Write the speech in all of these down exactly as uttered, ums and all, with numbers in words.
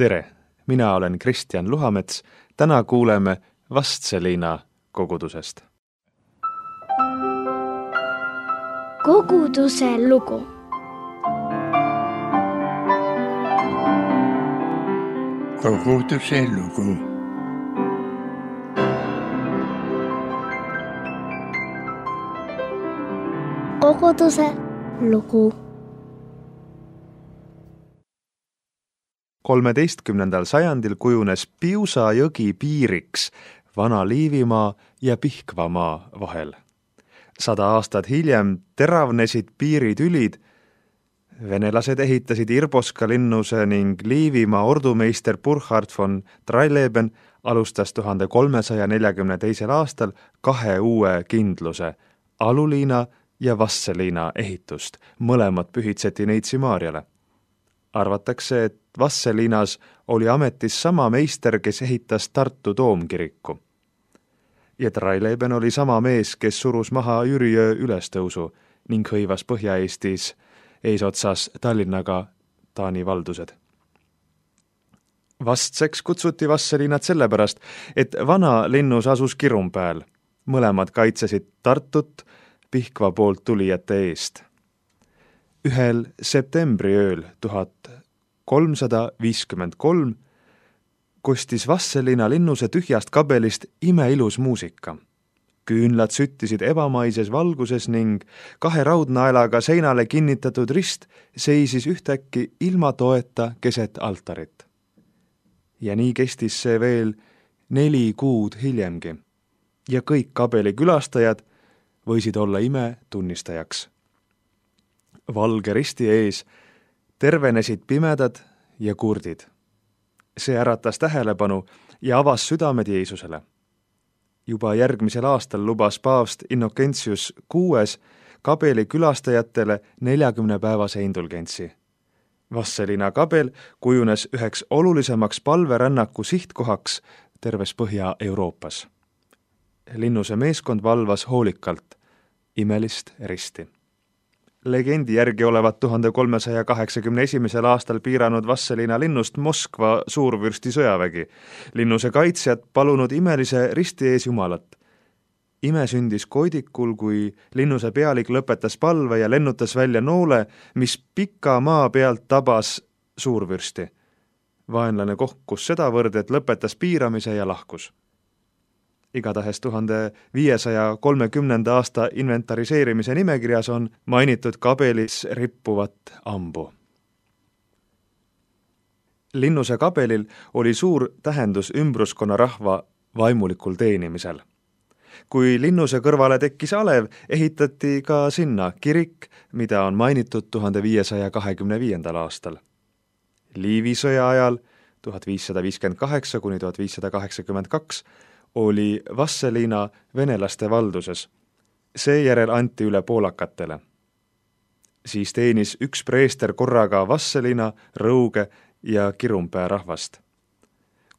Tere, mina olen Kristjan Luhamets. Täna kuuleme Vastseliina kogudusest. Koguduse lugu. Koguduse lugu. Koguduse lugu. kolmeteistkümnendal sajandil kujunes Piusa jõgi piiriks Vana-Liivimaa ja Pihkvamaa vahel. Sada aastat hiljem teravnesid piiritülid. Venelased ehitasid Irboska linnuse ning Liivimaa ordumeister Burkhard von Tralleben alustas tuhande kolmesaja neljakümne teisel aastal kahe uue kindluse, Aluliina ja Vasseliina ehitust. Mõlemad pühitseti Neitsi Maarjale. Arvatakse, et Vasseliinas oli ametis sama meister, kes ehitas Tartu toomkiriku. Ja Tralleben oli sama mees, kes surus maha Jüriöö ülestõusu ning hõivas Põhja-Eestis eesotsas Tallinnaga Taani valdused. Vastseks kutsuti Vasseliinat sellepärast, et vana linnus asus Kirumpääl. Mõlemad kaitsesid Tartut Pihkva poolt tulijate eest. Ühel septembri ööl tuhat kolmsada viiskümmend kolm kostis Vasseliina linnuse tühjast kabelist imeilus muusika. Küünlad süttisid ebamaises valguses ning kahe raudnaelaga seinale kinnitatud rist seisis ühtäkki ilma toeta keset altarit. Ja nii kestis see veel neli kuud hiljemgi. Ja kõik kabeli külastajad võisid olla ime tunnistajaks. Valge risti ees tervenesid pimedad ja kurdid. See äratas tähelepanu ja avas südamed Jeesusele. Juba järgmisel aastal lubas paavst Innocentius kuues kabeli külastajatele neljakümne päevase indulgentsi. Vasseliina kabel kujunes üheks olulisemaks palverännaku sihtkohaks terves Põhja-Euroopas. Linnuse meeskond valvas hoolikalt imelist risti. Legendi järgi olevat tuhande kolmesaja kaheksakümne esimesel aastal piiranud Vasseliina linnust Moskva suurvürsti sõjavägi. Linnuse kaitsjad palunud imelise risti ees Jumalat. Ime sündis koidikul, kui linnuse pealik lõpetas palve ja lennutas välja noole, mis pika maa pealt tabas suurvürsti. Vaenlane kohkus sedavõrd, et lõpetas piiramise ja lahkus. Igatahes tuhande viiesaja kolmekümnenda aasta inventariseerimise nimekirjas on mainitud kabelis rippuvat ambu. Linnuse kabelil oli suur tähendus ümbruskonna rahva vaimulikul teenimisel. Kui linnuse kõrvale tekkis alev, ehitati ka sinna kirik, mida on mainitud tuhande viiesaja kahekümne viiendal aastal. Liivi sõja ajal tuhat viissada viiskümmend kaheksa kuni tuhat viissada kaheksakümmend kaks oli Vasseliina venelaste valduses. Seejärel anti üle poolakatele. Siis teenis üks preester korraga Vasseliina, Rõuge ja Kirumpää rahvast.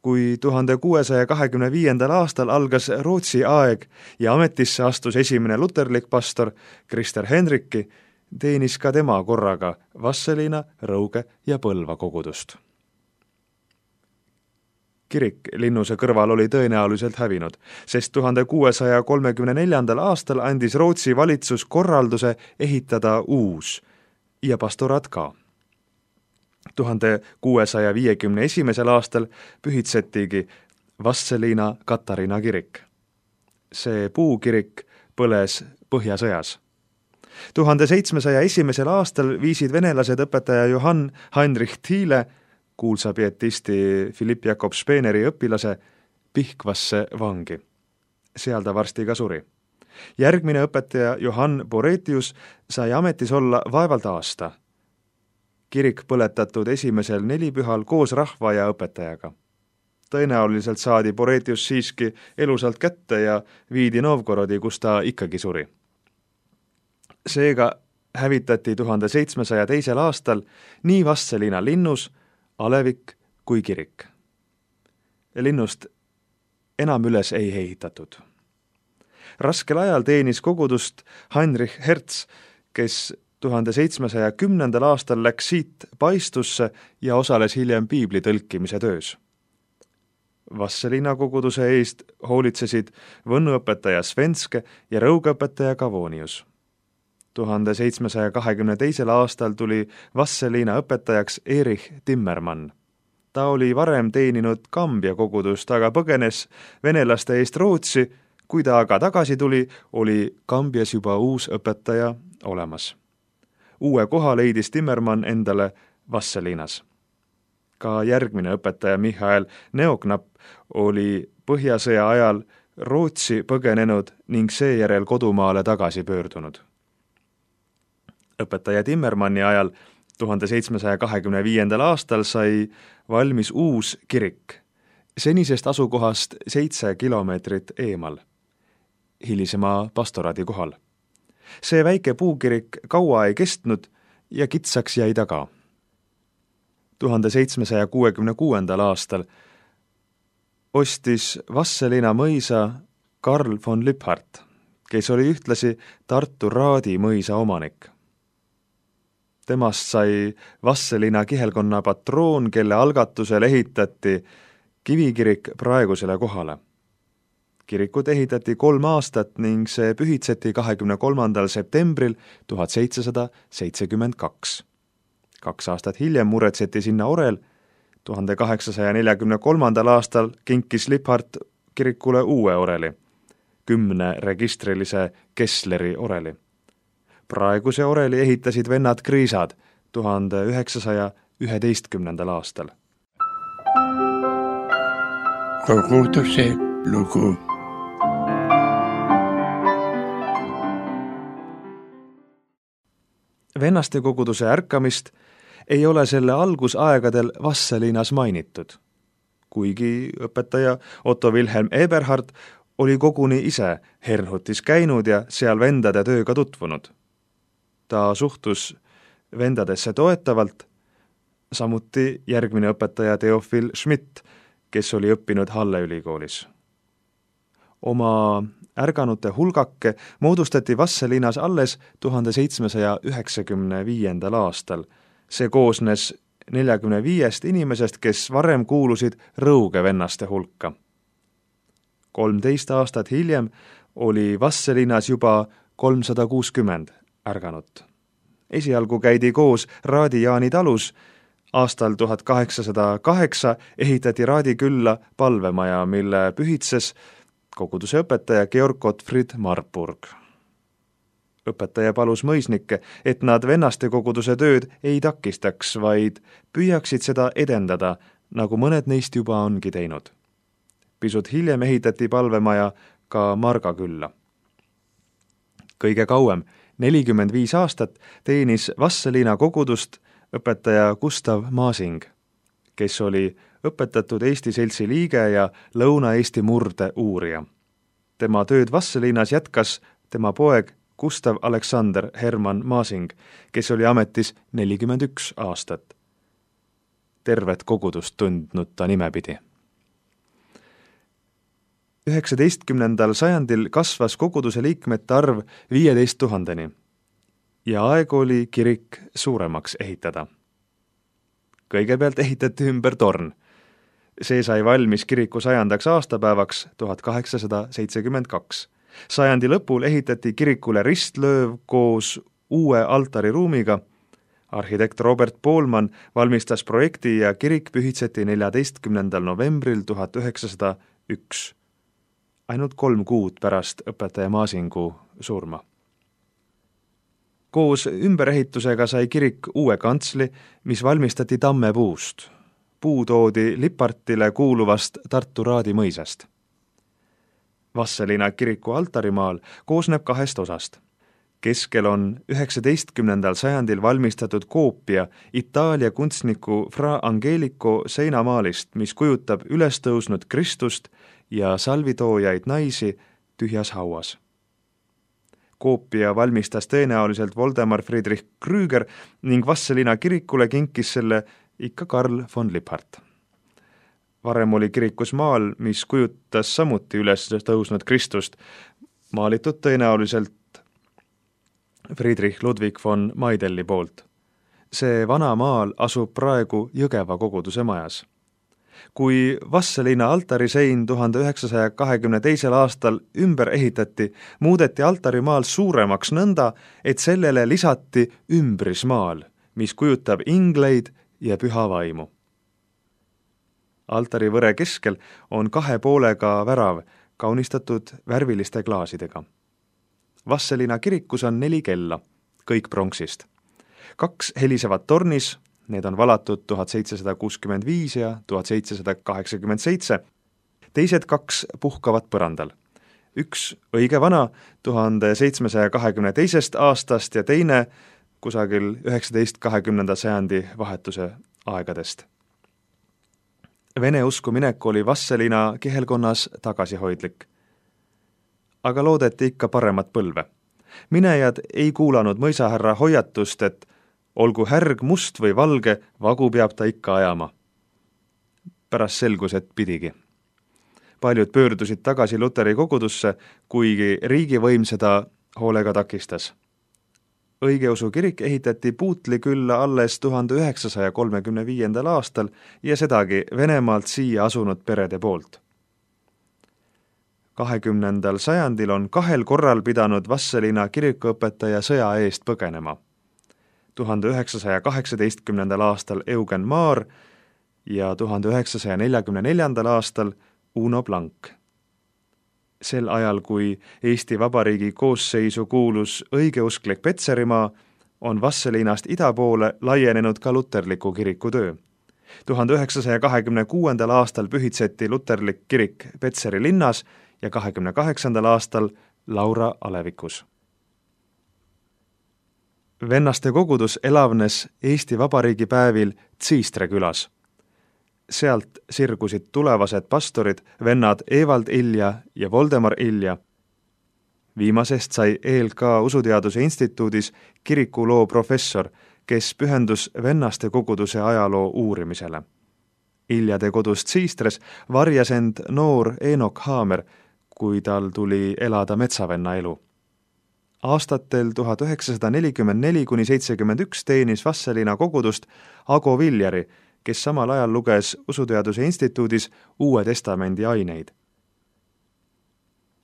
Kui tuhande kuuesaja kahekümne viiendal aastal algas Rootsi aeg ja ametisse astus esimene luterlik pastor Krister Henrikki, teenis ka tema korraga Vasseliina, Rõuge ja Põlva kogudust. Kirik linnuse kõrval oli tõenäoliselt hävinud, sest tuhande kuuesaja kolmekümne neljandal aastal andis Rootsi valitsus korralduse ehitada uus ja pastorat ka. tuhande kuuesaja viiekümne esimesel aastal pühitsetigi Vasseliina Katariina kirik. See puukirik põles Põhjasõjas. tuhande seitsmesaja esimesel aastal viisid venelased õpetaja Johann Heinrich Thiele, kuulsa pietisti Philipp Jakob Speeneri õpilase, Pihkvasse vangi. Seal ta varsti ka suri. Järgmine õpetaja Johann Boretius sai ametis olla vaevalt aasta. Kirik põletatud esimesel nelipühal koos rahva ja õpetajaga. Tõenäoliselt saadi Boretius siiski elusalt kätte ja viidi Novgorodi, kus ta ikkagi suri. Seega hävitati tuhande seitsmesaja teisel aastal nii Vasseliina linnus, alevik kui kirik. Linnust enam üles ei ehitatud. Raskel ajal teenis kogudust Heinrich Hertz, kes tuhande seitsmesaja kümnendal aastal läks siit paistusse ja osales hiljem piibli tõlkimise töös. Vastseliina koguduse eest hoolitsesid võnnuõpetaja Svenske ja rõugeõpetaja Kavonius. tuhande seitsmesaja kahekümne teisel aastal tuli Vastseliina õpetajaks Erich Timmermann. Ta oli varem teeninud Kambja kogudust, aga põgenes venelaste eest Rootsi. Kui ta aga tagasi tuli, oli Kambjas juba uus õpetaja olemas. Uue koha leidis Timmermann endale Vastseliinas. Ka järgmine õpetaja Michael Neoknapp oli Põhjasõja ajal Rootsi põgenenud ning seejärel kodumaale tagasi pöördunud. Õpetaja Timmermanni ajal tuhande seitsmesaja kahekümne viiendal aastal sai valmis uus kirik, senisest asukohast seitse kilomeetrit eemal, hilisema pastoraadi kohal. See väike puukirik kaua ei kestnud ja kitsaks jäi taga. tuhande seitsmesaja kuuekümne kuuendal aastal ostis Vastseliina mõisa Karl von Lipphardt, kes oli ühtlasi Tartu Raadi mõisa omanik. Temast sai Vastseliina kihelkonna patroon, kelle algatusel ehitati kivikirik praegusele kohale. Kirikut ehitati kolm aastat ning see pühitseti kahekümne kolmandal septembril tuhat seitsesada seitsekümmend kaks. Kaks aastat hiljem muretseti sinna orel. tuhande kaheksasaja neljakümne kolmandal aastal kinkis Lipphardt kirikule uue oreli, kümne registrilise Kessleri oreli. Praeguse oreli ehitasid vennad Kriisad tuhande üheksasaja üheteistkümnendal aastal. Koguduse lugu. Vennaste koguduse ärkamist ei ole selle algusaegadel Vastseliinas mainitud, kuigi õpetaja Otto Wilhelm Eberhard oli koguni ise Herrnhutis käinud ja seal vendade tööga tutvunud. Ta suhtus vendadesse toetavalt, samuti järgmine õpetaja Theophil Schmidt, kes oli õppinud Halle ülikoolis. Oma ärganute hulgake moodustati Vastseliinas alles tuhande seitsmesaja üheksakümne viiendal aastal. See koosnes neljakümne viiest inimesest, kes varem kuulusid Rõuge vennaste hulka. kolmteist aastat hiljem oli Vastseliinas juba kolmsada kuuskümmend ärganut. Esialgu käidi koos Raadi Jaani talus. Aastal tuhat kaheksasada kaheksa ehitati Raadi külla palvemaja, mille pühitses koguduse õpetaja Georg Gottfried Marburg. Õpetaja palus mõisnikke, et nad vennaste koguduse tööd ei takistaks, vaid püüaksid seda edendada, nagu mõned neist juba ongi teinud. Pisut hiljem ehitati palvemaja ka Marga külla. Kõige kauem, nelikümmend viis aastat, teenis Vastseliina kogudust õpetaja Gustav Masing, kes oli õpetatud Eesti Seltsi liige ja Lõuna-Eesti murde uurija. Tema tööd Vastseliinas jätkas tema poeg Gustav Alexander Hermann Masing, kes oli ametis nelikümmend üks aastat. Tervet kogudust tundnud ta nimepidi. üheksateistkümnendal sajandil kasvas koguduse liikmete arv viieteist tuhandeni ja aeg oli kirik suuremaks ehitada. Kõigepealt ehitati ümber torn. See sai valmis kiriku sajandaks aastapäevaks tuhat kaheksasada seitsekümmend kaks. Sajandi lõpul ehitati kirikule ristlööv koos uue altariruumiga. Arhitekt Robert Poolman valmistas projekti ja kirik pühitseti neljateistkümnendal novembril tuhat üheksasada üks. Ainult kolm kuud pärast õpetaja Masingu surma. Koos ümberehitusega sai kirik uue kantsli, mis valmistati tammepuust. Puu toodi Lippardtile kuuluvast Tartu Raadi mõisast. Vastseliina kiriku altarimaal koosneb kahest osast. Keskel on üheksateistkümnendal sajandil valmistatud koopia Itaalia kunstniku Fra Angelico seinamaalist, mis kujutab ülestõusnud Kristust ja salvitoojaid naisi tühjas hauas. Koopia valmistas tõenäoliselt Voldemar Friedrich Krüger ning Vastseliina kirikule kinkis selle ikka Karl von Lipphardt. Varem oli kirikus maal, mis kujutas samuti üles tõusnud Kristust, maalitud tõenäoliselt Friedrich Ludwig von Maidelli poolt. See vana maal asub praegu Jõgeva koguduse majas. Kui Vastseliina altarisein tuhande üheksasaja kahekümne teisel aastal ümber ehitati, muudeti altarimaal suuremaks nõnda, et sellele lisati ümbrismaal, mis kujutab ingleid ja püha vaimu. Altarivõre keskel on kahe poolega värav, kaunistatud värviliste klaasidega. Vastseliina kirikus on neli kella, kõik pronksist. Kaks helisevad tornis, need on valatud tuhat seitsesada kuuskümmend viis ja tuhat seitsesada kaheksakümmend seitse, teised kaks puhkavad põrandal. Üks õige vana tuhande seitsmesaja kahekümne teisest aastast ja teine kusagil üheksateist kahekümnenda sajandi vahetuse aegadest. Vene usku minek oli Vastseliina kihelkonnas tagasihoidlik. Aga loodeti ikka paremat põlve. Minejad ei kuulanud mõisahärra hoiatust, et olgu härg must või valge, vagu peab ta ikka ajama. Pärast selgus, et pidigi. Paljud pöördusid tagasi Luteri kogudusse, kuigi riigivõim seda hoolega takistas. Õigeusu kirik ehitati Puutli külla alles tuhande üheksasaja kolmekümne viiendal aastal ja sedagi Venemaalt siia asunud perede poolt. kahekümnendal sajandil on kahel korral pidanud Vastseliina kirikuõpetaja sõja eest põgenema. tuhande üheksasaja kaheksateistkümnendal aastal Eugen Maar ja tuhande üheksasaja neljakümne neljandal aastal Uno Blank. Sel ajal, kui Eesti Vabariigi koosseisu kuulus õigeusklik Petserimaa, on Vastseliinast ida poole laienenud ka luterliku kiriku töö. tuhande üheksasaja kahekümne kuuendal aastal pühitseti luterlik kirik Petseri linnas ja kahekümne kaheksandal aastal Laura alevikus. Vennaste kogudus elavnes Eesti Vabariigi päevil Tsiistre külas. Sealt sirgusid tulevased pastorid, vennad Evald Ilja ja Voldemar Ilja. Viimasest sai E L K Usuteaduse instituudis kirikuloo professor, kes pühendus vennaste koguduse ajaloo uurimisele. Iljade kodus Tsiistres varjas end noor Eenok Haamer, kui tal tuli elada metsavenna elu. Aastatel tuhat üheksasada nelikümmend neli kuni seitsekümmend üks teenis Vastseliina kogudust Ago Viljari, kes samal ajal luges Usuteaduse instituudis Uue Testamendi aineid.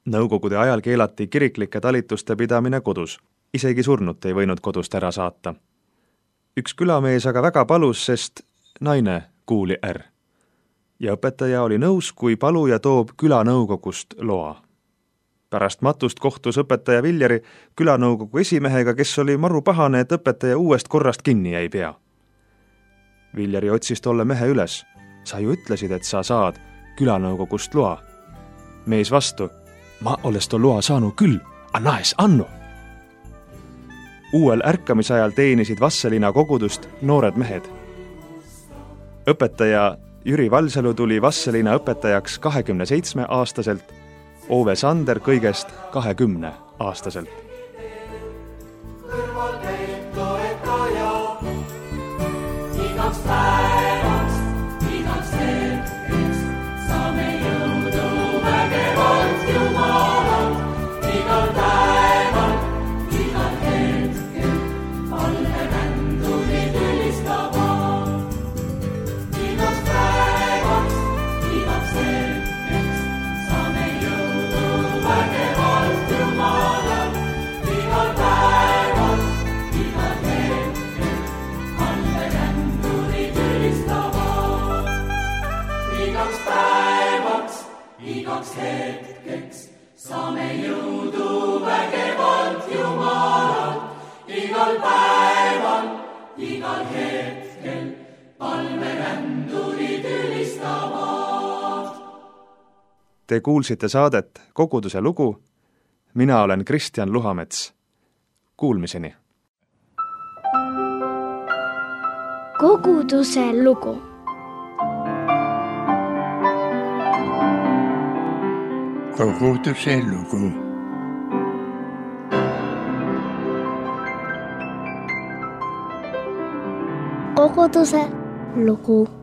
Nõukogude ajal keelati kiriklike talituste pidamine kodus. Isegi surnut ei võinud kodust ära saata. Üks külamees aga väga palus, sest naine kuuli är. Ja õpetaja oli nõus, kui paluja toob külanõukogust loa. Pärast matust kohtus õpetaja Viljari külanõukogu esimehega, kes oli maru pahane, et õpetaja uuest korrast kinni ei pea. Viljari otsis tolle mehe üles. Sa ju ütlesid, et sa saad külanõukogust loa. Mees vastu. Ma oles to loa saanud küll, a naes annu. Uuel ärkamisajal teenisid Vastseliina kogudust noored mehed. Õpetaja Jüri Valsalu tuli Vastseliina õpetajaks kahekümne seitsme aastaselt, Ove Sander kõigest kahekümne aastaselt. Igaks päevaks, igaks hetkeks saame jõudu vägevalt Jumalalt. Igal päeval, igal hetkel palveränduri ülistavad. Igaks päevaks, igaks hetkeks saame jõudu vägevalt Jumalalt. Igal päeval, igal hetkel palveränduri igaks päevaks, igaks hetkeks saame jõudu vägevalt Jumalalt. Igal päeval, igal hetkel palverändurid ülistavad. Te kuulsite saadet Koguduse lugu. Mina olen Kristjan Luhamets. Kuulmiseni. Koguduse lugu. Koguduse lugu. Koguduse lugu.